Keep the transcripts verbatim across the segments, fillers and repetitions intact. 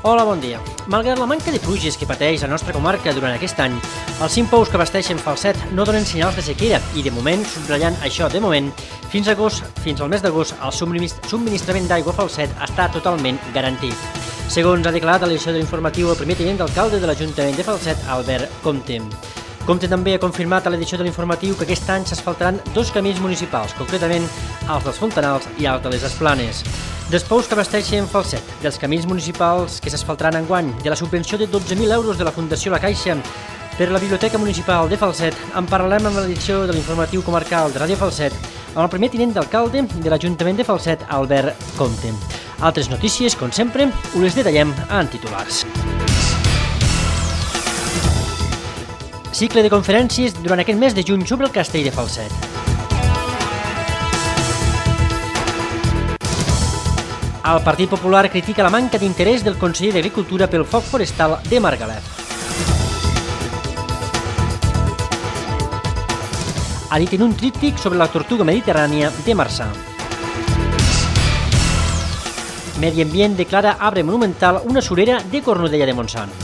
Hola, bon dia. Malgrat la manca de pluges que pateix la nostra comarca durant aquest any, els cinc pous que abasteixen Falset no donen senyals de sequera i, de moment, subratllant això de moment, fins a agost, fins al mes d'agost, el subministrament d'aigua a Falset està totalment garantit. Segons ha declarat a l'edició de l'informatiu el primer tinent d'alcalde de l'Ajuntament de Falset, Albert Comte. Comte també ha confirmat a l'edició de l'informatiu que aquest any s'asfaltaran dos camins municipals, concretament els dels Fontanals i els de les Esplanes. Dels pous que abasteixen Falset, dels camins municipals que s'asfaltaran enguany, de la subvenció de dotze mil euros de la Fundació La Caixa per la Biblioteca Municipal de Falset, en parlarem amb l'edició de l'informatiu comarcal de Ràdio Falset, amb el primer tinent d'alcalde de l'Ajuntament de Falset, Albert Comte. Altres notícies, com sempre, us les detallem en titulars. Cicle de conferències durant aquest mes de juny sobre el castell de Falset. El Partit Popular critica la manca d'interès del conseller d'Agricultura pel foc forestal de Margalef. Ha dit en un tríptic sobre la tortuga mediterrània de Marçà. Medi Ambient declara arbre monumental una surera de Cornudella de Montsant.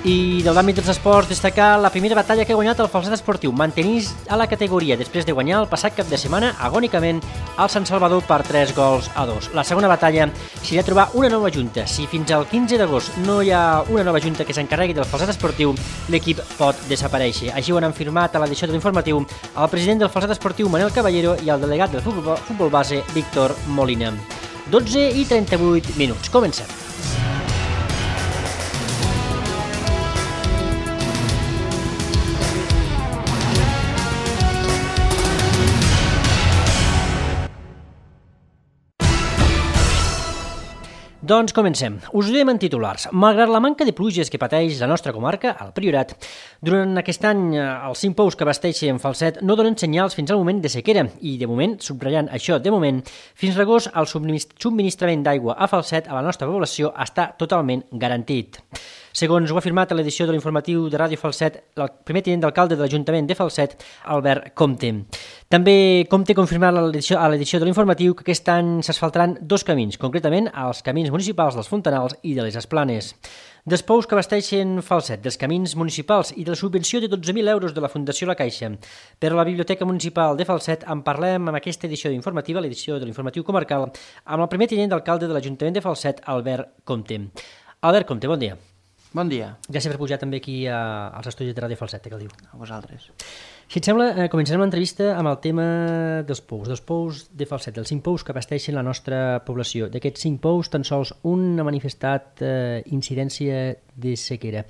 I de l'àmbit dels esports, destacar la primera batalla que ha guanyat el Falset Esportiu, mantenir a la categoria després de guanyar el passat cap de setmana agònicament al Sant Salvador per tres gols a dos. La segona batalla serà trobar una nova junta. Si fins al quinze d'agost no hi ha una nova junta que s'encarregui del Falset Esportiu, l'equip pot desaparèixer. Així ho han afirmat a l'edició de l'informatiu el president del Falset Esportiu, Manel Caballero, i el delegat del futbol, futbol base, Víctor Molina. dotze i trenta-vuit minuts. Comencem. Doncs comencem. Us ho diem en titulars. Malgrat la manca de pluges que pateix la nostra comarca, el Priorat, durant aquest any els cinc pous que abasteixen Falset no donen senyals fins al moment de sequera i, de moment, subratllant això de moment, fins a l'agost el subministrament d'aigua a Falset a la nostra població està totalment garantit. Segons ho ha afirmat a l'edició de l'informatiu de Ràdio Falset el primer tinent d'alcalde de l'Ajuntament de Falset, Albert Comte. També Comte ha confirmat a l'edició de l'informatiu que aquest any s'asfaltaran dos camins, concretament els camins municipals dels Fontanals i de les Esplanes. Dels pous que abasteixen Falset, dels camins municipals i de la subvenció de dotze mil euros de la Fundació La Caixa per a la Biblioteca Municipal de Falset, en parlem amb aquesta edició informativa, l'edició de l'informatiu comarcal, amb el primer tinent d'alcalde de l'Ajuntament de Falset, Albert Comte. Albert Comte, bon dia. Bon dia. Gràcies per pujar també aquí a, als estudis de Ràdio Falset, que el diu. A vosaltres. Si et sembla, eh, començarem l'entrevista amb el tema dels pous, dels pous de Falset, dels cinc pous que abasteixen la nostra població. D'aquests cinc pous, tan sols un ha manifestat eh, incidència de sequera.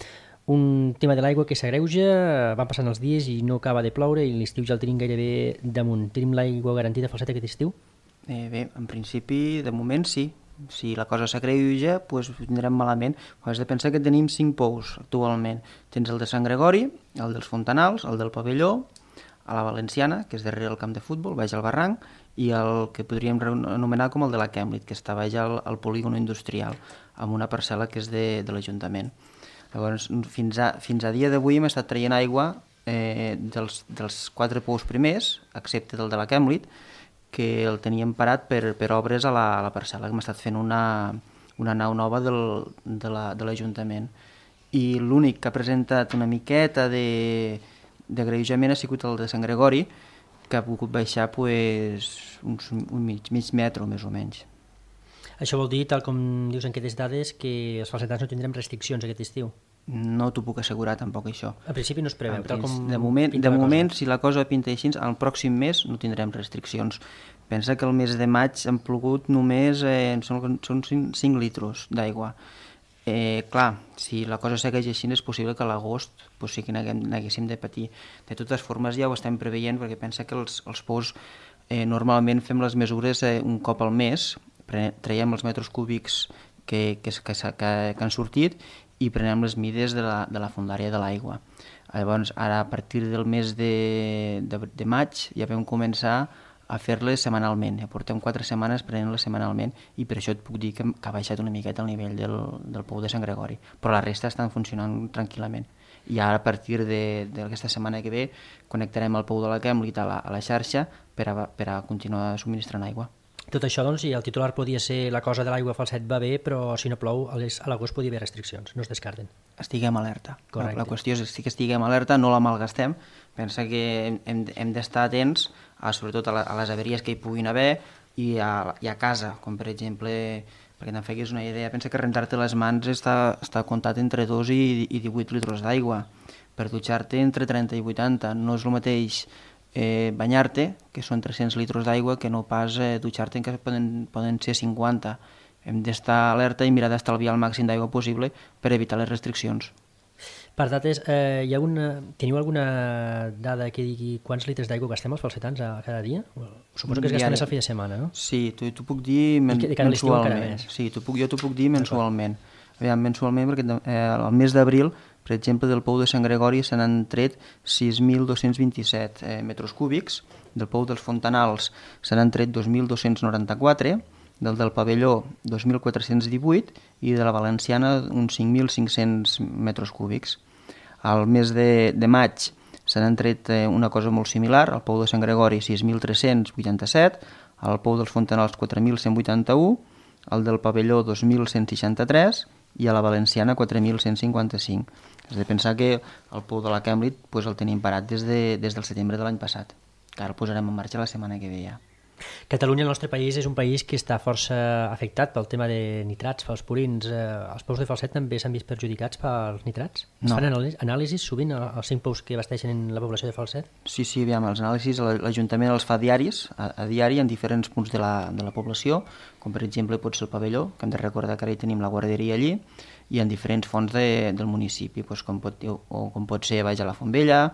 Un tema de l'aigua que s'agreuja, van passant els dies i no acaba de ploure i l'estiu ja el tenim gairebé damunt. Tenim l'aigua garantida a Falset aquest estiu? Eh, bé, en principi, de moment sí. Si la cosa s'agreuja, doncs tindrem malament. Has de pensar que tenim cinc pous actualment. Tens el de Sant Gregori, el dels Fontanals, el del Pavelló, a la Valenciana, que és darrere el camp de futbol, baix al barranc, i el que podríem anomenar com el de la Kemlit, que està baix al, al polígon industrial, amb una parcel·la que és de, de l'Ajuntament. Llavors, fins a, fins a dia d'avui hem estat traient aigua eh, dels, dels quatre pous primers, excepte del de la Kemlit, que el teníem parat per, per obres a la, a la parcel·la, que hem estat fent una, una nau nova del, de l'Ajuntament. I l'únic que ha presentat una miqueta d'agreujament ha sigut el de Sant Gregori, que ha pogut baixar pues, uns, un mig, mig metre, més o menys. Això vol dir, tal com dius en aquestes dades, que els falsetans no tindrem restriccions aquest estiu? No t'ho puc assegurar tampoc això. Al principi no es preveu, tal com de moment, de moment si la cosa pinta així, al pròxim mes no tindrem restriccions. Pensa que el mes de maig han plogut només, eh, són, són cinc litres d'aigua. Eh, clar, si la cosa segueix així és possible que a l'agost pues, sí que n'haguéssim de patir. De totes formes ja ho estem preveient perquè pensa que els, els pous eh, normalment fem les mesures eh, un cop al mes, traiem els metres cúbics que, que, que, que, que han sortit i prenem les mides de la, de la fondària de l'aigua. Llavors, ara, a partir del mes de, de, de maig, ja vam començar a fer-les setmanalment. Ja portem quatre setmanes prenent-les setmanalment i per això et puc dir que, que ha baixat una miqueta el nivell del, del pou de Sant Gregori. Però la resta estan funcionant tranquil·lament. I ara, a partir d'aquesta setmana que ve, connectarem el pou de la Kemlit a la, a la xarxa per a, per a continuar subministrant aigua. Tot això, doncs, i el titular podia ser la cosa de l'aigua a Falset va bé, però si no plou, a l'agost podia haver restriccions, no es descarten. Estiguem alerta. Correcte. La, la qüestió és que estiguem alerta, no la malgastem. Pensa que hem, hem d'estar atents, a, sobretot a, la, a les averies que hi puguin haver i a, i a casa, com per exemple, perquè te'n feguis una idea, pensa que rentar-te les mans està, està comptat entre dos i, i divuit litres d'aigua. Per dutxar-te entre trenta i vuitanta. No és el mateix eh, banyar-te, que són tres-cents litres d'aigua, que no pas eh, dutxar-te, en què poden, poden ser cinquanta. Hem d'estar alerta i mirar d'estalviar el màxim d'aigua possible per evitar les restriccions. Per dates, eh, hi ha una, teniu alguna dada que digui quants litres d'aigua gastem els falsetans a cada dia? Suposo que es gasta més al fi de setmana, no? Sí, t'ho puc dir men de cada mensualment. Sí, puc, jo t'ho puc dir mensualment. Aviam, mensualment, perquè eh, al mes d'abril, per exemple, del pou de Sant Gregori se n'han tret sis mil dos-cents vint-i-set eh, metres cúbics, del pou dels Fontanals se n'han tret dos mil dos-cents noranta-quatre, del del Pavelló dos mil quatre-cents divuit i de la Valenciana uns cinc mil cinc-cents metres cúbics. Al mes de, de maig se n'han tret eh, una cosa molt similar, al pou de Sant Gregori sis mil tres-cents vuitanta-set, al pou dels Fontanals quatre mil cent vuitanta-u, al del Pavelló dos mil cent seixanta-tres i a la Valenciana quatre mil cent cinquanta-cinc. Has de pensar que el pou de la Cambridge pues, el tenim parat des, de, des del setembre de l'any passat, que ara el posarem en marxa la setmana que ve ja. Catalunya, el nostre país, és un país que està força afectat pel tema de nitrats, pels purins. Eh, els pous de Falset també s'han vist perjudicats pels nitrats? Es No. fan anàlisis sovint als cinc pous que abasteixen la població de Falset? Sí, sí, aviam, els anàlisis l'Ajuntament els fa diaris, a, a diari, en diferents punts de la, de la població, com per exemple pot ser el Pavelló, que hem de recordar que ara hi tenim la guarderia allí, i en diferents fonts de, del municipi, doncs com, pot, o com pot ser baix a la Fontvella,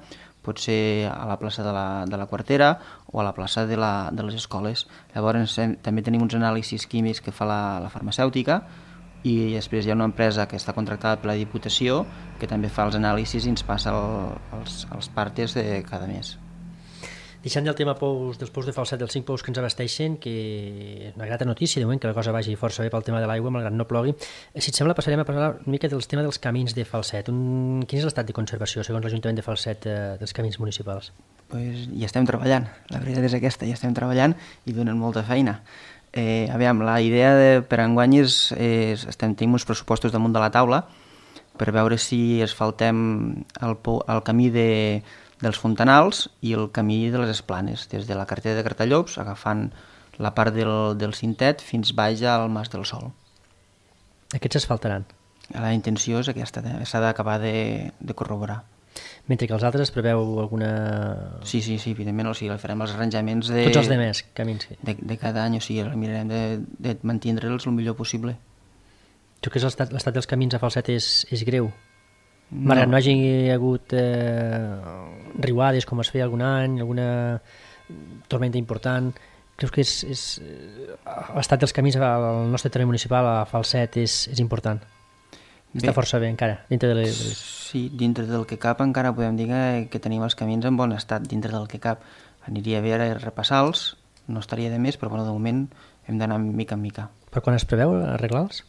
pot ser a la plaça de la, de la Quartera o a la plaça de, la, de les escoles. Llavors hem, també tenim uns anàlisis químics que fa la, la farmacèutica i després hi ha una empresa que està contractada per la Diputació que també fa els anàlisis i ens passa el, els, els partes de cada mes. Deixant del tema pous, dels pous de Falset, dels cinc pous que ens abasteixen, que és una grata notícia, de moment que la cosa vagi força bé pel tema de l'aigua, malgrat no plogui. Si et sembla, passarem a parlar una mica del tema dels camins de Falset. Un... Quin és l'estat de conservació, segons l'Ajuntament de Falset, eh, dels camins municipals? Pues hi estem treballant, la veritat és aquesta, hi estem treballant i donen molta feina. Eh, aviam, la idea de, per enguany és, és estem, tenim uns pressupostos damunt de la taula per veure si asfaltem el, el camí de dels Fontanals i el camí de les Esplanes, des de la carretera de Cartallops, agafant la part del, del Cintet fins baix al Mas del Sol. Aquests s'asfaltaran? La intenció és aquesta, s'ha d'acabar de, de corroborar. Mentre que els altres preveu alguna... Sí, sí, sí, evidentment, o sigui, farem els arranjaments de... Tots els demés, camins. De, de cada any, o sigui, mirarem de, de mantindre'ls el millor possible. Tu que l'estat dels camins a Falset és, és greu? No. Malgrat no hagi hagut eh, riuades com es feia algun any, alguna tormenta important, creus que és, és, l'estat dels camins al nostre terreny municipal a Falset és, és important? Bé, està força bé encara, dintre de les... Sí, dintre del que cap encara podem dir que, que tenim els camins en bon estat, dintre del que cap. Aniria bé ara repassar-los, no estaria de més, però bueno, de moment hem d'anar mica en mica. Per quan es preveu arreglar-los?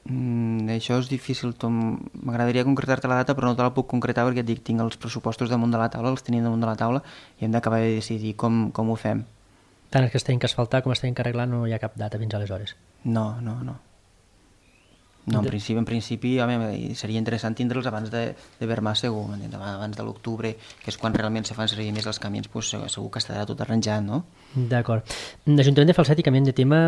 Mm, això és difícil, m'agradaria concretar-te la data però no te la puc concretar perquè et dic, tinc els pressupostos damunt de la taula, els tenim damunt de la taula i hem d'acabar de decidir com, com ho fem. Tant els que es tenen que asfaltar com es tenen que arreglar no hi ha cap data fins aleshores? No, no, no. No, en principi, en principi home, seria interessant tindre'ls abans de, de Vermà segur, abans de l'octubre, que és quan realment se fan servir més els camins, doncs segur que estarà tot arranjat, no? D'acord. L'Ajuntament de Falset, i canviant de tema,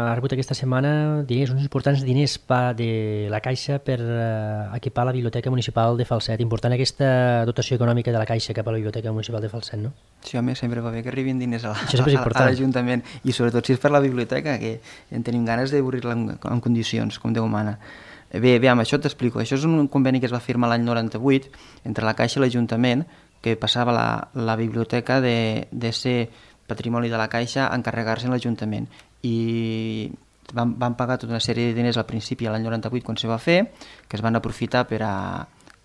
ha rebut aquesta setmana diners, uns importants diners pa de la Caixa per uh, equipar la Biblioteca Municipal de Falset. Important aquesta dotació econòmica de la Caixa cap a la Biblioteca Municipal de Falset, no? Sí, home, sempre va bé que arribin diners a l'Ajuntament, i sobretot si és per la biblioteca, que en tenim ganes d'obrir-la en, en condicions, com Déu mana. Bé, bé, amb això t'explico. Això és un conveni que es va firmar l'any noranta-vuit entre la Caixa i l'Ajuntament, que passava la, la biblioteca de, de ser patrimoni de la Caixa a encarregar-se en l'Ajuntament. I van, van pagar tota una sèrie de diners al principi, a l'any noranta-vuit, quan se va fer, que es van aprofitar per a,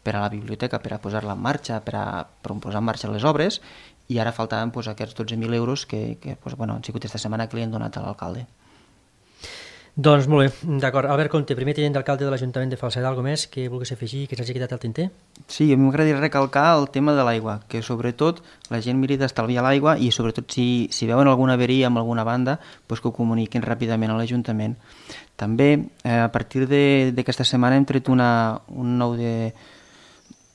per a la biblioteca, per a posar-la en marxa, per a, per a posar en marxa les obres, i ara faltaven pues, aquests dotze mil euros que, que pues, bueno, han sigut aquesta setmana que li han donat a l'alcalde. Doncs molt bé, d'acord. Albert Conte, primer tinent d'alcalde de l'Ajuntament de Falset, alguna més que vulguis afegir, que s'hagi quedat al tinter? Sí, a mi m'agradaria recalcar el tema de l'aigua, que sobretot la gent miri d'estalviar l'aigua i sobretot si, si veuen alguna averia amb alguna banda, doncs que ho comuniquin ràpidament a l'Ajuntament. També, eh, a partir d'aquesta setmana hem tret una, un nou de,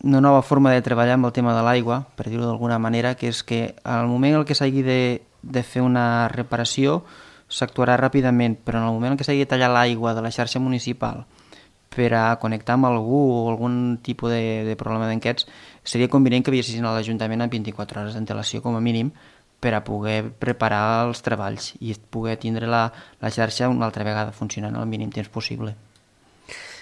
una nova forma de treballar amb el tema de l'aigua, per dir-ho d'alguna manera, que és que al moment en què s'hagi de, de fer una reparació s'actuarà ràpidament, però en el moment en què s'hagi de tallar l'aigua de la xarxa municipal per a connectar amb algú o algun tipus de, de problema d'aquests, seria convenient que avisessin a l'Ajuntament amb vint-i-quatre hores d'antelació com a mínim per a poder preparar els treballs i poder tindre la, la xarxa una altra vegada funcionant al mínim temps possible.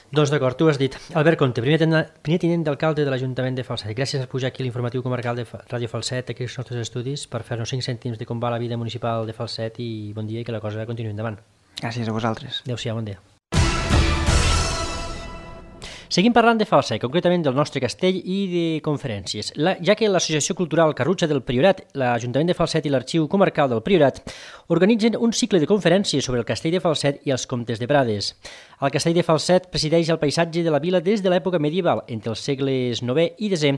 Doncs d'acord, tu has dit. Albert Conte, primer, ten, primer tinent d'alcalde de l'Ajuntament de Falset. Gràcies per pujar aquí a l'informatiu comarcal de Ràdio Falset, aquí als nostres estudis, per fer-nos cinc cèntims de com va la vida municipal de Falset i bon dia i que la cosa continuï endavant. Gràcies a vosaltres. Adéu-siau, bon dia. Seguim parlant de Falset, concretament del nostre castell i de conferències, la, ja que l'Associació Cultural Carrutxa del Priorat, l'Ajuntament de Falset i l'Arxiu Comarcal del Priorat organitzen un cicle de conferències sobre el castell de Falset i els comtes de Prades. El castell de Falset presideix el paisatge de la vila des de l'època medieval, entre els segles novè i desè,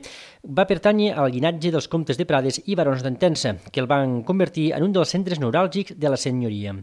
va pertànyer al llinatge dels comtes de Prades i barons d'Entença, que el van convertir en un dels centres neuràlgics de la senyoria.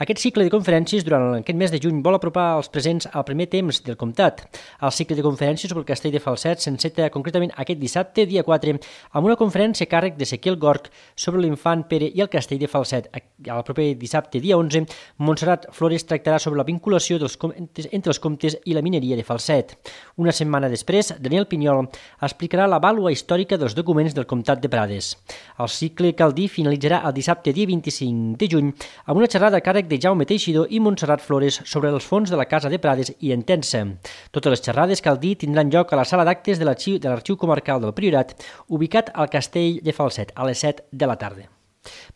Aquest cicle de conferències durant aquest mes de juny vol apropar els presents al primer temps del comtat. El cicle de conferències sobre el castell de Falset s'enceta concretament aquest dissabte, dia quatre, amb una conferència a càrrec d'Ezequiel Gorg sobre l'infant Pere i el castell de Falset. El proper dissabte, dia onze, Montserrat Flores tractarà sobre la vinculació dels entre els comtes i la mineria de Falset. Una setmana després, Daniel Pinyol explicarà la vàlua històrica dels documents del comtat de Prades. El cicle, cal dir, finalitzarà el dissabte, dia vint-i-cinc de juny, amb una xerrada a càrrec de Jaume Teixidor i Montserrat Flores sobre els fons de la Casa de Prades i Entença. Totes les xerrades, cal dir, tindran lloc a la sala d'actes de l'Arxiu Comarcal del Priorat, ubicat al castell de Falset, a les set de la tarda.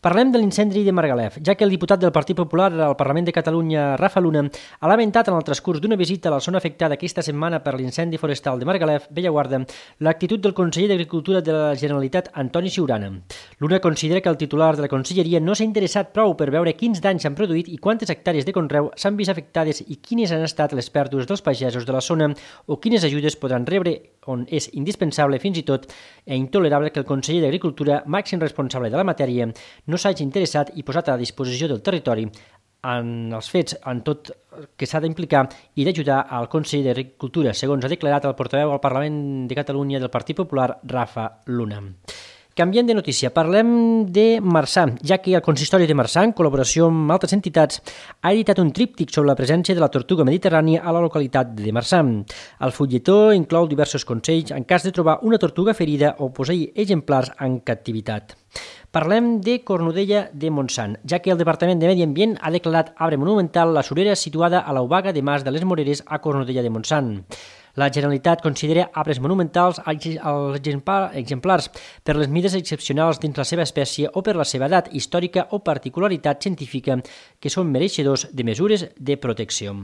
Parlem de l'incendi de Margalef, ja que el diputat del Partit Popular al Parlament de Catalunya, Rafa Luna, ha lamentat en el transcurs d'una visita a la zona afectada aquesta setmana per l'incendi forestal de Margalef, Bellaguarda, l'actitud del conseller d'Agricultura de la Generalitat, Antoni Siurana. Luna considera que el titular de la conselleria no s'ha interessat prou per veure quins danys s'han produït i quantes hectàrees de conreu s'han vist afectades i quines han estat les pèrdues dels pagesos de la zona o quines ajudes podran rebre, on és indispensable fins i tot i intolerable que el conseller d'Agricultura, màxim responsable de la matèria, no s'hagi interessat i posat a disposició del territori en els fets, en tot que s'ha d'implicar i d'ajudar al conseller d'Agricultura, segons ha declarat el portaveu al Parlament de Catalunya del Partit Popular, Rafa Luna. Canviant de notícia, parlem de Marçà, ja que el Consistori de Marçà, en col·laboració amb altres entitats, ha editat un tríptic sobre la presència de la tortuga mediterrània a la localitat de Marçà. El fulletó inclou diversos consells en cas de trobar una tortuga ferida o posseir exemplars en captivitat. Parlem de Cornudella de Montsant, ja que el Departament de Medi Ambient ha declarat arbre monumental la surera situada a l'Obaga de Mas de les Moreres a Cornudella de Montsant. La Generalitat considera arbres monumentals als exemplars per les mides excepcionals dins la seva espècie o per la seva edat històrica o particularitat científica que són mereixedors de mesures de protecció.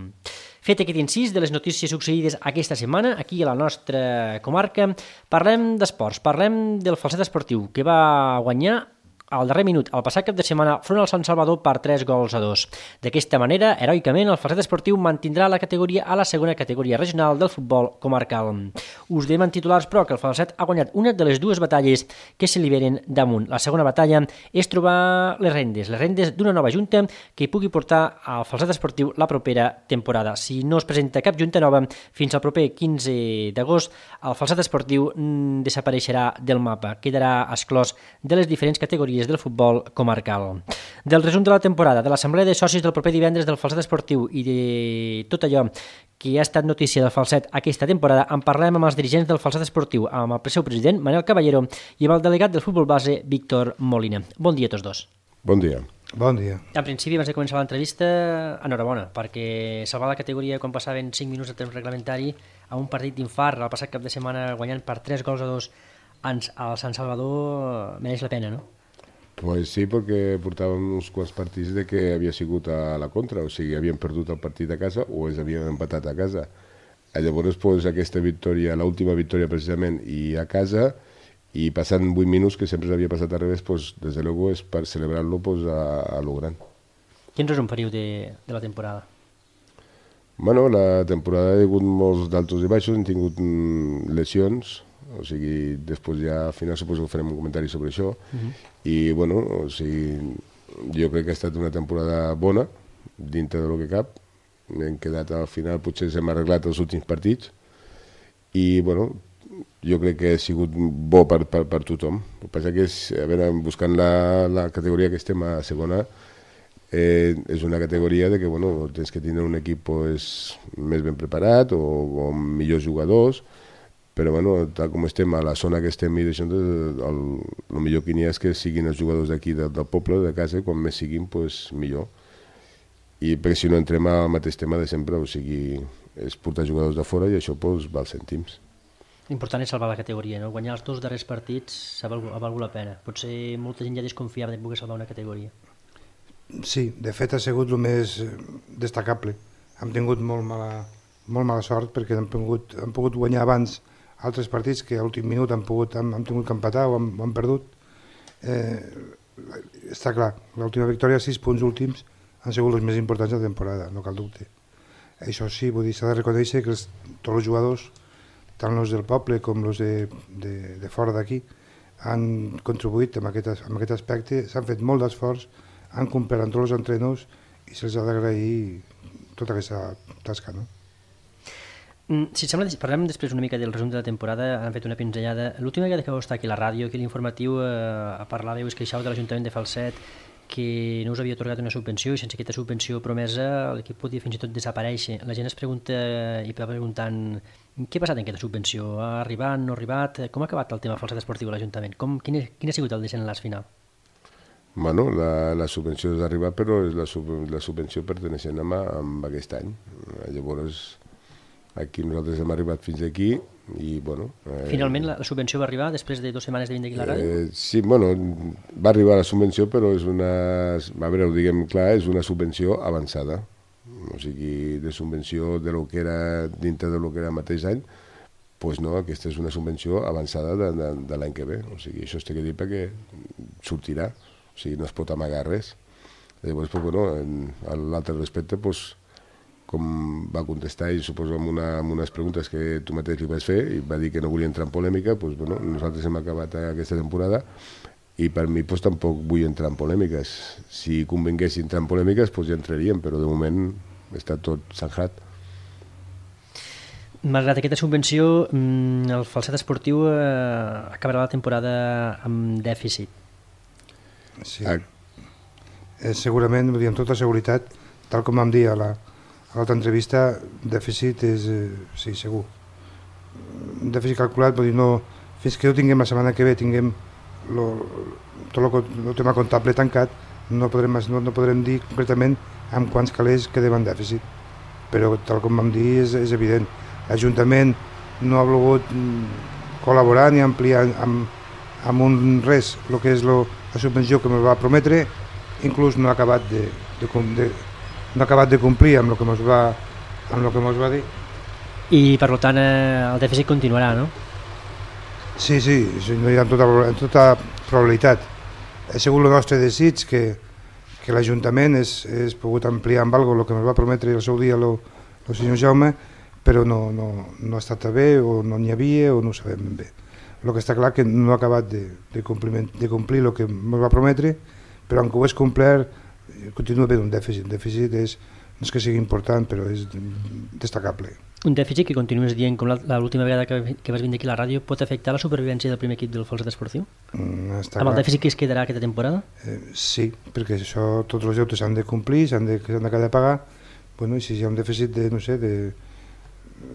Fet aquest incís de les notícies succeïdes aquesta setmana aquí a la nostra comarca, parlem d'esports, parlem del Falset esportiu que va guanyar al darrer minut, el passat cap de setmana, front al Sant Salvador per tres gols a dos. D'aquesta manera, heroicament, el Falset esportiu mantindrà la categoria a la segona categoria regional del futbol comarcal. Us dèiem en titulars, però, que el Falset ha guanyat una de les dues batalles que se li venen damunt. La segona batalla és trobar les rendes, les rendes d'una nova junta que pugui portar al Falset esportiu la propera temporada. Si no es presenta cap junta nova, fins al proper quinze d'agost, el Falset esportiu mm, desapareixerà del mapa, quedarà exclòs de les diferents categories del futbol comarcal. Del resum de la temporada, de l'assemblea de socis del proper divendres del Falset esportiu i de tot allò que ha estat notícia del Falset aquesta temporada, en parlem amb els dirigents del Falset esportiu, amb el seu president, Manel Caballero, i amb el delegat del futbol base, Víctor Molina. Bon dia a tots dos. Bon dia. Bon dia. En principi, abans de començar l'entrevista, enhorabona, perquè salvar la categoria quan passaven cinc minuts de temps reglamentari a un partit d'infart el passat cap de setmana guanyant per tres gols a dos al Sant Salvador mereix la pena, no? Pues sí, perquè portàvem uns quants partits de que havia sigut a la contra, o sigui, havien perdut el partit a casa o es havien empatat a casa. Llavors, pues, aquesta victòria, l'última victòria precisament, i a casa, i passant vuit minuts, que sempre s'havia passat al revés, pues, des de luego és per celebrar-lo pues, a, a lo gran. Quin resum faríeu de, de la temporada? Bueno, la temporada ha hagut molts d'altos i baixos, hem tingut lesions, o sigui, després ja al final suposo que farem un comentari sobre això, uh-huh. I bueno, o sigui, jo crec que ha estat una temporada bona, dintre del que cap, hem quedat al final, potser ens hem arreglat els últims partits, i bueno, jo crec que ha sigut bo per, per, per tothom. El que passa que és, a veure, buscant la, la categoria que estem a segona, eh, és una categoria de que, bueno, tens que tenir un equip pues, més ben preparat o, o amb millors jugadors, però, bueno, tal com estem a la zona que estem i d'això, el, el millor que n'hi ha és que siguin els jugadors d'aquí, del, del poble, de casa, i quan més siguin, pues, millor. I perquè si no entrem al mateix tema de sempre, o sigui, és portar jugadors de fora i això pues, val cèntims. L'important és salvar la categoria, no? Guanyar els dos darrers partits ha valgut, ha valgut la pena. Potser molta gent ja desconfiava de poder salvar una categoria. Sí, de fet ha sigut el més destacable. Hem tingut molt mala, molt mala sort perquè hem pogut, hem pogut guanyar abans altres partits que a l'últim minut han, pogut, hem, hem tingut que empatar o hem, o hem perdut. Eh, està clar, l'última victòria, sis punts últims, han sigut els més importants de la temporada, no cal dubte. Això sí, vull dir, s'ha de reconèixer que els, tots els jugadors, tant els del poble com els de, de, de fora d'aquí, han contribuït en aquest, en aquest aspecte, s'han fet molt d'esforç, han complert amb tots els entrenadors i se'ls ha d'agrair tota aquesta tasca, no? Si sembla, parlem després una mica del resum de la temporada, han fet una pinzellada. L'última vegada que vau estar aquí a la ràdio, aquí a l'informatiu, eh, parlàveu, es queixau de l'Ajuntament de Falset, que no us havia atorgat una subvenció i sense aquesta subvenció promesa l'equip podia fins i tot desaparèixer. La gent es pregunta i va preguntant què ha passat en aquesta subvenció? Ha arribat, no ha arribat? Com ha acabat el tema Falset Esportiu a l'Ajuntament? Com, quin, quin ha sigut el desenlaç final? Bueno, la, la subvenció ha arribat, però és la, sub, la subvenció perteneixent a, a aquest any. Llavors, aquí nosaltres hem arribat fins aquí i, bueno... Eh, Finalment la, la subvenció va arribar després de dues setmanes de vindre aquí a la ràdio? Eh, sí, bueno, va arribar la subvenció, però és una... A veure, ho diguem clar, és una subvenció avançada. O sigui, de subvenció de lo que era dintre de lo que era el mateix any, doncs no, aquesta és una subvenció avançada de, de, de l'any que ve. O sigui, això es té que dir perquè sortirà. O sigui, no es pot amagar res. Llavors, pues, bueno, en l'altre respecte, pues, com va contestar, i suposo amb, una, amb unes preguntes que tu mateix li vas fer, i va dir que no volia entrar en polèmica, pues, bueno, nosaltres hem acabat aquesta temporada i per mi pues, tampoc vull entrar en polèmiques. Si convingués entrar en polèmiques, pues, ja entraríem, però de moment està tot zanjat. Malgrat aquesta subvenció, el Falset Esportiu eh, acabarà la temporada amb dèficit. Sí, ah. eh, segurament, vull dir, amb tota seguretat, tal com vam dir a la, a l'altra entrevista, dèficit és, eh, sí, segur. Dèficit calculat, vull dir, no, fins que no tinguem la setmana que ve, tinguem lo, tot el tema comptable tancat, no podrem, no, no podrem dir concretament amb quants calés quedem en dèficit. Però tal com vam dir és, és evident. L'Ajuntament no ha volgut col·laborar ni ampliar amb, amb un res el que és lo, la subvenció que ens va prometre, inclús no ha acabat de, de, de, no ha acabat de complir amb el que ens va, amb el que ens va dir. I per tant el dèficit continuarà, no? Sí, sí, no hi ha tota, tota probabilitat. Ha sigut el nostre desig que, que l'Ajuntament és, és pogut ampliar amb alguna cosa el que ens va prometre el seu dia el senyor Jaume, però no, no, no ha estat bé o no n'hi havia o no ho sabem ben bé. El que està clar que no ha acabat de, de, de complir el que ens va prometre, però aunque ho és complert, continua havent un dèficit. Un dèficit és, no és que sigui important, però és destacable. Un dèficit que continues dient, com l'última vegada que, que vas vindre aquí a la ràdio, pot afectar la supervivència del primer equip del Falset Esportiu? Mm, està Amb clar. El dèficit que es quedarà aquesta temporada? Eh, sí, perquè això, tots els deutes s'han de complir, s'han de, s'han de de pagar. Bueno, i si hi ha un dèficit de, no sé, de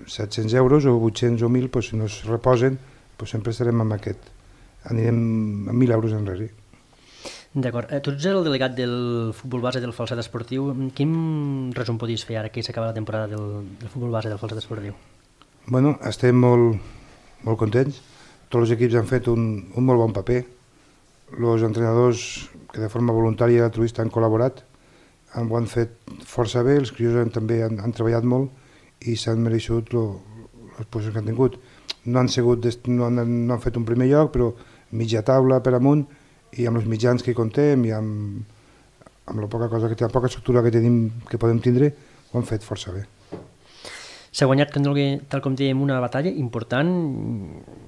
set-cents euros o vuit-cents o mil, pues, si no es reposen, pues sempre estarem amb aquest. Anirem a mil euros enrere. D'acord. Tu ets el delegat del futbol base del Falset Esportiu. Quin resum podies fer ara que s'acaba la temporada del, del futbol base del Falset Esportiu? Bueno, estem molt, molt contents. Tots els equips han fet un, un molt bon paper. Els entrenadors que de forma voluntària i altruista han col·laborat han, ho han fet força bé, els crios han, també han, han treballat molt i s'han mereixut les posicions que han tingut. No han, sigut, no, han, no han fet un primer lloc, però mitja taula per amunt, i amb els mitjans que hi contem i amb, amb la poca cosa que té, la poca estructura que tenim, que podem tindre, ho han fet força bé. S'ha guanyat, tal com dèiem, una batalla important,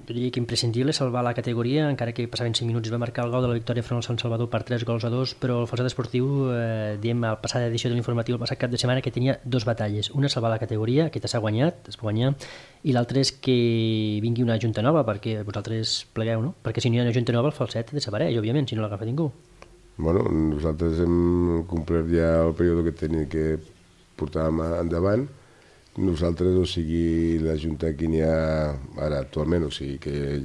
jo diria que imprescindible, salvar la categoria, encara que passaven cinc minuts i va marcar el gol de la victòria front al Sant Salvador per tres gols a dos, però el Falset Esportiu, eh, diem, a la passada edició de l'informatiu, el passat cap de setmana, que tenia dos batalles. Una, salvar la categoria, aquesta s'ha guanyat, es va guanyar, i l'altra és que vingui una junta nova, perquè vosaltres plegueu, no? Perquè si no hi ha una junta nova, el Falset desapareix, òbviament, si no l'agafa ningú. Bueno, nosaltres hem complert ja el període que tenia que portàvem endavant. Nosaltres, o sigui, la Junta que n'hi ha ara actualment, o sigui, que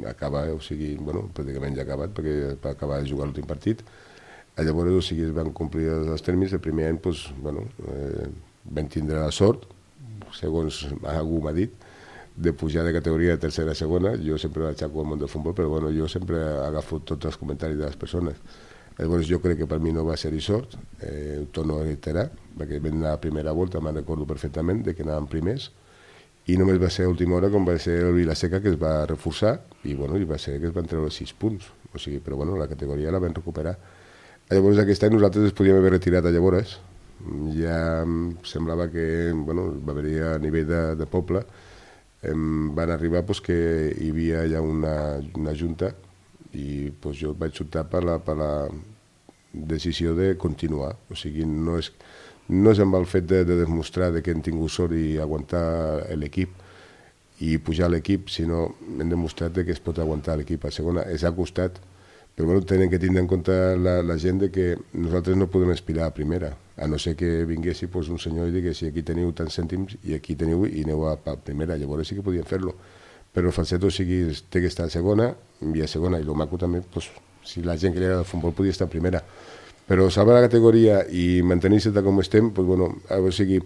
acaba, o sigui, bueno, pràcticament ja ha acabat, perquè va acabar de jugar l'últim partit. Llavors, o sigui, es van complir els termes. El primer any, doncs, bueno, eh, vam tindre la sort, segons algú m'ha dit, de pujar de categoria de tercera a segona. Jo sempre l'aixaco al món del futbol, però bueno, jo sempre agafo tots els comentaris de les persones. Llavors jo crec que per mi no va ser-hi sort, eh, ho torno a reiterar, perquè vam anar a la primera volta, me'n recordo perfectament, de que anàvem primers, i només va ser a última hora com va ser el Vilaseca, que es va reforçar, i bueno, i va ser que es van treure sis punts, o sigui, però bueno, la categoria la vam recuperar. Llavors aquest any nosaltres ens podíem haver retirat a llavors, ja semblava que, bueno, va haver-hi a nivell de, de poble, em van arribar pues, que hi havia ja una, una junta, i pues, jo vaig optar per la, per la decisió de continuar. O sigui, no és, no és amb el fet de, de demostrar de que hem tingut sort i aguantar l'equip i pujar l'equip, sinó hem demostrat de que es pot aguantar l'equip a segona. És al costat, però bueno, tenen que tindre en compte la, la gent de que nosaltres no podem aspirar a primera, a no ser que vinguessi pues, un senyor i diguessi aquí teniu tants cèntims i aquí teniu i aneu a, a primera, llavors sí que podien fer-lo. Però el Falset, o sigui, té que estar a segona i a segona, i el maco també, pues, si la gent que li agrada el futbol podia estar a primera. Però salvar la categoria i mantenir-se tal com estem, pues, bueno, o sigui,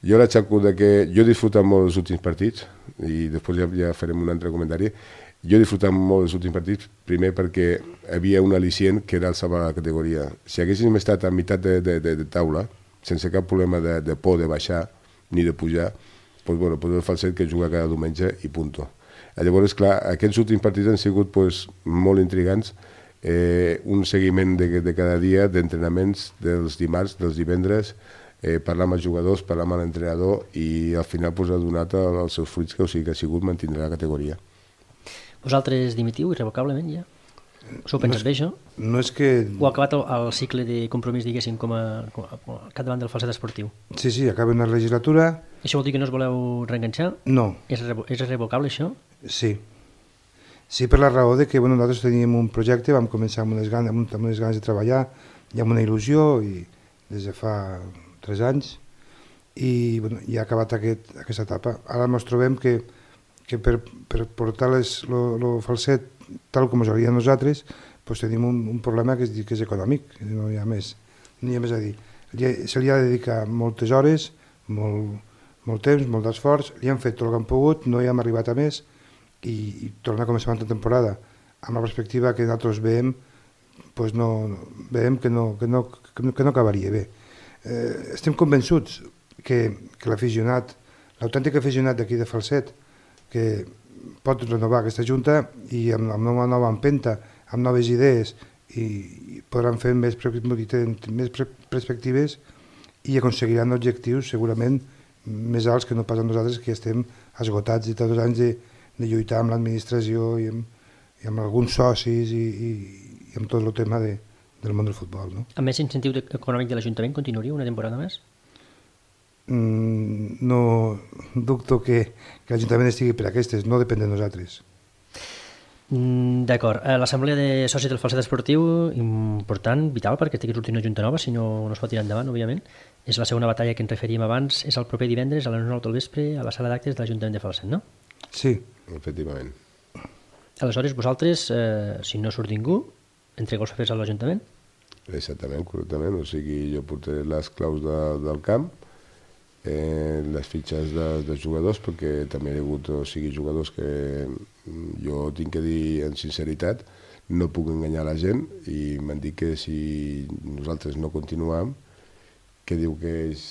jo l'aixaco de que jo he disfrutat molt dels últims partits, i després ja, ja farem un altre comentari, jo he disfrutat molt dels últims partits, primer perquè hi havia un al·licient que era el salvar la categoria. Si haguéssim estat a meitat de, de, de, de taula, sense cap problema de, de por de baixar ni de pujar, pues, bueno, pues el Falset que juga cada diumenge i punto. Llavors, clar, aquests últims partits han sigut pues, molt intrigants, eh, un seguiment de, de cada dia d'entrenaments dels dimarts, dels divendres, eh, parlar amb els jugadors, parlar amb l'entrenador i al final pues, ha donat els seus fruits, que, o sigui, que ha sigut mantenir la categoria. Vosaltres dimitiu irrevocablement ja? S'ho penses bé, això? No és que... O ha acabat el, el cicle de compromís, diguéssim, com a, com a, com a capdavant del Falset Esportiu? Sí, sí, acaba una legislatura... Això vol dir que no us voleu reenganxar? No. És, revo és irrevocable, això? Sí. Sí, per la raó de que bueno, nosaltres teníem un projecte, vam començar amb unes ganes, amb unes ganes de treballar i amb una il·lusió, i des de fa tres anys, i bueno, ja ha acabat aquest, aquesta etapa. Ara ens trobem que, que per, per portar el Falset tal com us agradaria a nosaltres, doncs tenim un, un problema que és, que és econòmic, no hi ha més, no hi ha més a dir. Se li ha de dedicar moltes hores, molt, molt temps, molt d'esforç, li hem fet tot el que hem pogut, no hi hem arribat a més, i, i tornar a començar una temporada amb la perspectiva que nosaltres veiem, doncs no, veiem que no, que no, que no, que no acabaria bé. Eh, estem convençuts que, que l'aficionat, l'autèntic aficionat d'aquí de Falset, que pot renovar aquesta junta i amb, amb una nova empenta, amb noves idees, i, i podran fer més, més perspectives i aconseguiran objectius segurament més alts que no pas a nosaltres, que estem esgotats de tots els anys de, de lluitar amb l'administració i, i amb alguns socis i, i, i amb tot el tema de, del món del futbol. No? Amb més incentiu econòmic de l'Ajuntament continuaria una temporada més? Mm, no dubto que, que l'Ajuntament estigui per aquestes, no depèn de nosaltres. Mm, D'acord. L'assemblea de socis del Falset Esportiu, important, vital, perquè té que sortir una junta nova, si no, no es pot tirar endavant, òbviament. És la segona batalla que ens referíem abans, és el proper divendres a les nou del vespre a la sala d'actes de l'Ajuntament de Falset, no? Sí. Efectivament. Aleshores, vosaltres, eh, si no surt ningú, entregueu els papers a l'Ajuntament? Exactament, correctament. O sigui, jo portaré les claus de, del camp, eh, les fitxes de, de jugadors, perquè també hi ha hagut, o sigui, jugadors que jo tinc que dir en sinceritat, no puc enganyar la gent, i m'han dit que si nosaltres no continuam, que diu que ells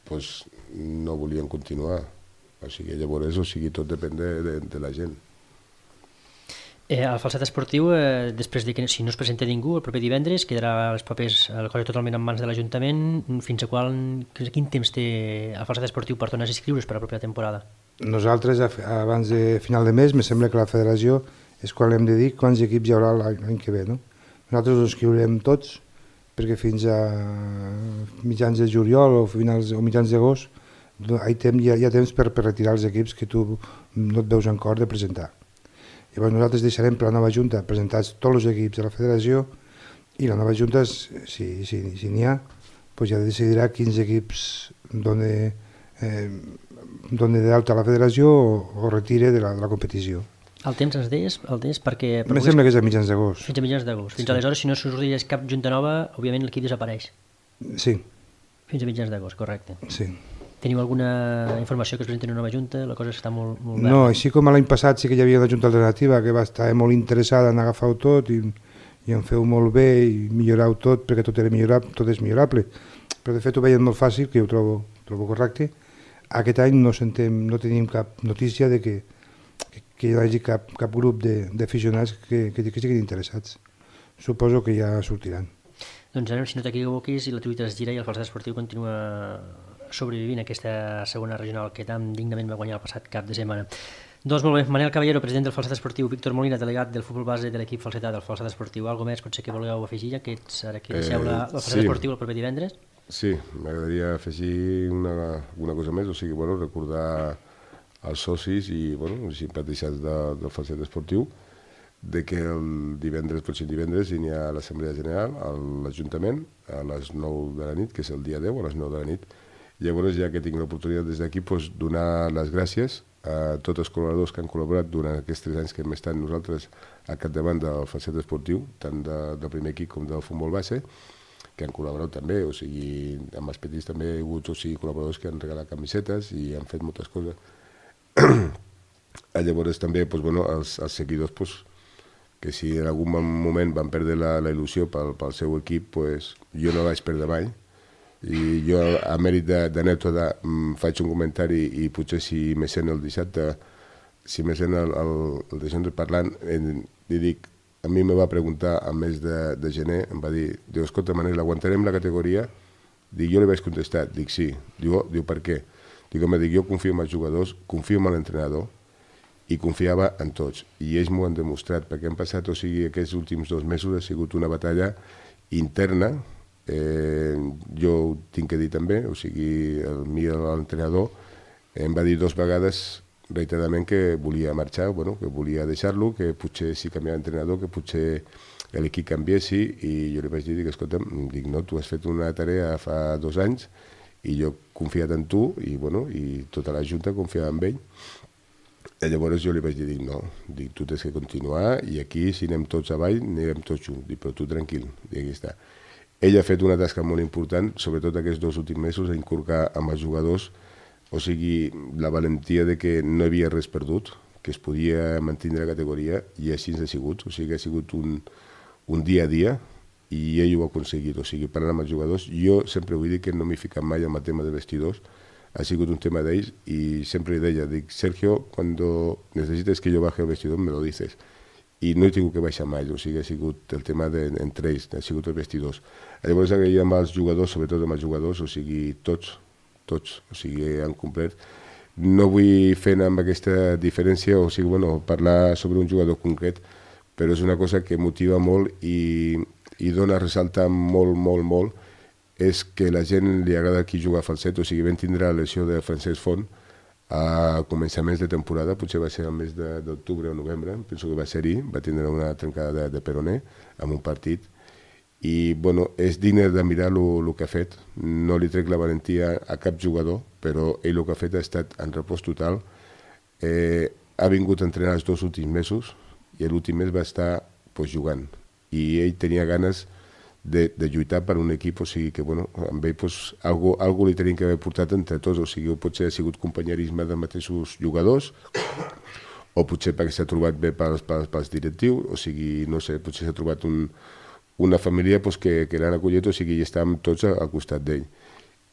pues, no volien continuar. O sigui, llavors, o sigui, tot depèn de, de, de la gent. Eh, el falset esportiu, eh, després de que si no es presenta ningú, el proper divendres quedarà els papers, el cosa totalment en mans de l'Ajuntament. Fins a qual, quin temps té el falset esportiu per tornar a inscriure's per a la propera temporada? Nosaltres, abans de final de mes, me sembla que la federació és quan hem de dir quants equips hi haurà l'any que ve. No? Nosaltres ens inscriurem tots, perquè fins a mitjans de juliol o, finals, o mitjans d'agost hi ha, hi ha temps per, per retirar els equips que tu no et veus en cor de presentar. Llavors nosaltres deixarem per la nova Junta presentats tots els equips de la federació i la nova Junta, si n'hi si, si ha, pues ja decidirà quins equips doni eh, d'alta a la federació o, o retire de la, de la competició. El temps ens deies? El temps perquè... Em sembla que és a mitjans d'agost. Fins a mitjans d'agost. Fins sí. Aleshores, si no sorgeix cap Junta nova, òbviament l'equip desapareix. Sí. Fins a mitjans d'agost, correcte. Sí. Teniu alguna informació que es presenti una nova Junta? La cosa està molt, molt verda. No, així com l'any passat sí que hi havia una Junta alternativa que va estar molt interessada en agafar-ho tot i, i en fer-ho molt bé i millorar-ho tot, perquè tot era millorable, tot és millorable. Però de fet ho veien molt fàcil, que ho trobo, trobo correcte. Aquest any no, sentem, no tenim cap notícia de que, que, que hi hagi cap, cap grup d'aficionats que, que, que siguin interessats. Suposo que ja sortiran. Doncs anem, si no t'equivoquis, i la truita es gira i el falset esportiu continua sobrevivint aquesta segona regional que tan dignament va guanyar el passat cap de setmana. Doncs molt bé, Manel Caballero, president del falset esportiu, Víctor Molina, delegat del futbol base de l'equip falsetà del falset esportiu. Algo més potser que voleu afegir, ja que ets ara que deixeu eh, el falset sí. esportiu el proper divendres? Sí, m'agradaria afegir una, una cosa més, o sigui, bueno, recordar als socis i bueno, els simpatitzants de, del falset esportiu de que el divendres, potser divendres, hi ha l'Assemblea General a l'Ajuntament a les nou de la nit, que és el dia deu, a les nou de la nit. Llavors, ja que tinc l'oportunitat des d'aquí, doncs, donar les gràcies a tots els col·laboradors que han col·laborat durant aquests tres anys que hem estat nosaltres al capdavant del falset esportiu, tant de, del primer equip com del futbol base, que han col·laborat també, o sigui, amb els petits també hi ha hagut o sigui, col·laboradors que han regalat camisetes i han fet moltes coses. Llavors també doncs, bueno, els, els seguidors doncs, que si en algun moment van perdre la, la il·lusió pel, pel seu equip, doncs, jo no vaig perdre mai. I jo, a mèrit d'anècdota, faig un comentari i potser si me sent el dissabte, si me sent el, el, el dissabte parlant, li dic, a mi me va preguntar al mes de, de gener, em va dir, diu, escolta, Manel, aguantarem la categoria? Dic, jo li vaig contestar, dic, sí. Diu, diu per què? Dic, home, dic, jo confio en els jugadors, confio en l'entrenador i confiava en tots. I ells m'ho han demostrat, perquè han passat, o sigui, aquests últims dos mesos ha sigut una batalla interna. Eh, jo ho tinc que dir també, o sigui, el mi, l'entrenador, em va dir dues vegades reiteradament que volia marxar, bueno, que volia deixar-lo, que potser si canviava d'entrenador, que potser l'equip canviessi, i jo li vaig dir que, escolta, dic, no, tu has fet una tarea fa dos anys i jo he confiat en tu i, bueno, i tota la Junta confiava en ell. I llavors jo li vaig dir, dic, no, dic, tu tens que continuar i aquí, si anem tots avall, anirem tots junts, dic, però tu tranquil, dic, aquí està. Ell ha fet una tasca molt important, sobretot aquests dos últims mesos, a inculcar amb els jugadors, o sigui, la valentia de que no hi havia res perdut, que es podia mantenir la categoria, i així ha sigut, o sigui, ha sigut un, un dia a dia, i ell ho ha aconseguit, o sigui, parlant amb els jugadors. Jo sempre vull dir que no m'he ficat mai en el tema de vestidors, ha sigut un tema d'ells, i sempre li deia, dic, Sergio, cuando necesites que yo baje el vestidor, me lo dices. I no he tingut que baixar mai, o sigui, ha sigut el tema de, entre ells, ha sigut els vestidors. Llavors agraïm amb els jugadors, sobretot amb els jugadors, o sigui, tots, tots, o sigui, han complert. No vull fer amb aquesta diferència, o sigui, bueno, parlar sobre un jugador concret, però és una cosa que motiva molt i, i dona a ressaltar molt, molt, molt, és que la gent li agrada qui juga a falset, o sigui, vam tindre la lesió de Francesc Font, a començaments de temporada, potser va ser el mes d'octubre o novembre, penso que va ser-hi, va tindre una trencada de, de peroné en un partit, i bueno, és digne de mirar el que ha fet. No li trec la valentia a cap jugador, però ell el que ha fet ha estat en repòs total. Eh, ha vingut a entrenar els dos últims mesos i l'últim mes va estar pues, jugant, i ell tenia ganes De, de lluitar per un equip, o sigui que bueno, amb ell pues, algo, algo li tenim que haver portat entre tots, o sigui, potser ha sigut companyerisme dels mateixos jugadors, o potser perquè s'ha trobat bé pels, pels, pels directius, o sigui, no sé, potser s'ha trobat un, una família pues, que, que l'han acollit, o sigui, i estàvem tots al costat d'ell.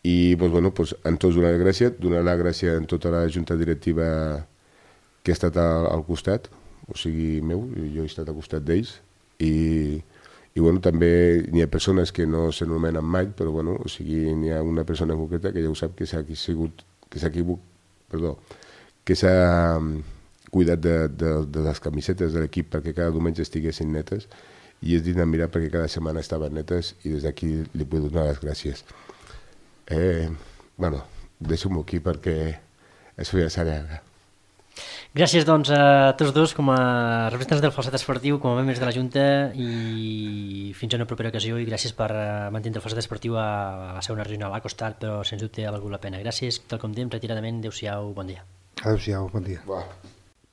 I pues, bueno, pues, en tots donar la gràcia, donar la gràcia en tota la junta directiva que ha estat al, al costat, o sigui, meu, jo he estat al costat d'ells, i, i bueno, també n'hi ha persones que no s'anomenen mai, però bueno, o sigui, n'hi ha una persona concreta que ja ho sap que s'ha sigut, que s'ha equivocat, perdó, que s'ha cuidat de, de, de les camisetes de l'equip perquè cada diumenge estiguessin netes, i és digne mirar perquè cada setmana estaven netes, i des d'aquí li vull donar les gràcies. Eh, bueno, deixo-m'ho aquí perquè això ja s'allarga. Gràcies, doncs, a tots dos com a representants del Falset Esportiu, com a membres de la Junta, i fins a una propera ocasió, i gràcies per mantenir el Falset Esportiu a la segona regional a costat, però sens dubte ha valgut la pena. Gràcies, tal com dèiem, retiradament, adéu-siau, bon dia. Adéu-siau, bon dia. Va.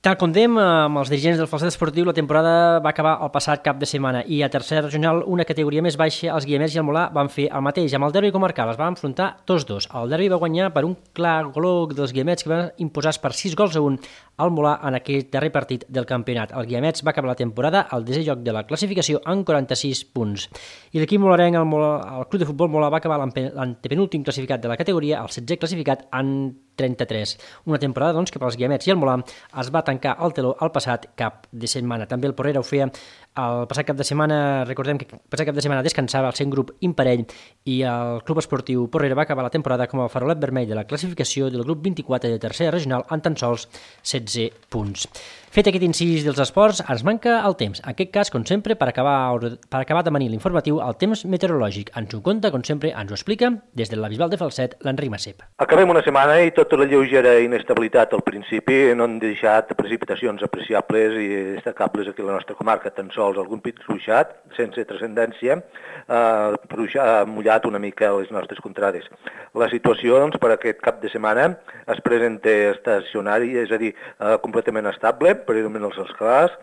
Tal com dèiem, amb els dirigents del Falset Esportiu, la temporada va acabar el passat cap de setmana, i a tercera regional, una categoria més baixa, els Guiamets i el Molà van fer el mateix. Amb el derbi comarcal es van enfrontar tots dos. El derbi va guanyar per un clar goló dels Guiamets, que van imposar per sis gols a un al Molà en aquest darrer partit del campionat. El Guiamets va acabar la temporada al desè lloc de la classificació amb quaranta-sis punts. I l'equip molarenc, el, Molà, el Club de Futbol Molà, va acabar l'antepenúltim classificat de la categoria, el setzè classificat, en trenta-tres. Una temporada, doncs, que pels Guiamets i el Molà es va tancar el teló al passat cap de setmana. També el Porrera ho feia el passat cap de setmana. Recordem que el passat cap de setmana descansava el sent grup imparell, i el Club Esportiu Porrera va acabar la temporada com el farolet vermell de la classificació del grup vint-i-quatre de tercera regional amb tan sols setze punts. Fet aquest incís dels esports, ens manca el temps. En aquest cas, com sempre, per acabar, per acabar de manir l'informatiu, el temps meteorològic. Ens ho conta, com sempre, ens ho explica des de la Bisbal de Falset, l'Enric Massep. Acabem una setmana i tota la lleugera inestabilitat al principi no han deixat precipitacions apreciables i destacables aquí a la nostra comarca, tan sols algun pit ruixat, sense transcendència, eh, ha mullat una mica les nostres contrades. La situació, doncs, per aquest cap de setmana es presenta estacionari, és a dir, eh, completament estable, predominant els escalars,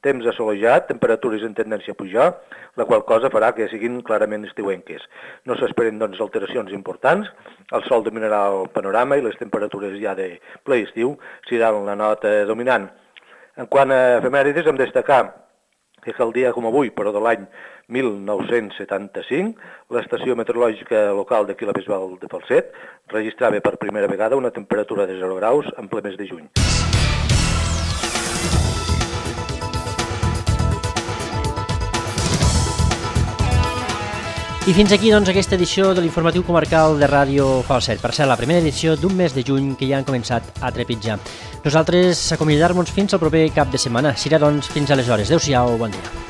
temps assolejat, temperatures en tendència a pujar, la qual cosa farà que siguin clarament estiuenques. No s'esperen, doncs, alteracions importants, el sol dominarà el panorama i les temperatures ja de ple estiu seran la nota dominant. En quant a efemèrides, hem de destacar que el dia com avui, però de l'any mil nou-cents setanta-cinc, l'estació meteorològica local d'aquí a la Bisbal de Falset registrava per primera vegada una temperatura de zero graus en ple mes de juny. I fins aquí, doncs, aquesta edició de l'informatiu comarcal de Ràdio Falset. Per ser la primera edició d'un mes de juny que ja han començat a trepitjar. Nosaltres acomiadar-nos fins al proper cap de setmana. Serà, doncs, fins aleshores. Adéu-siau, bon dia.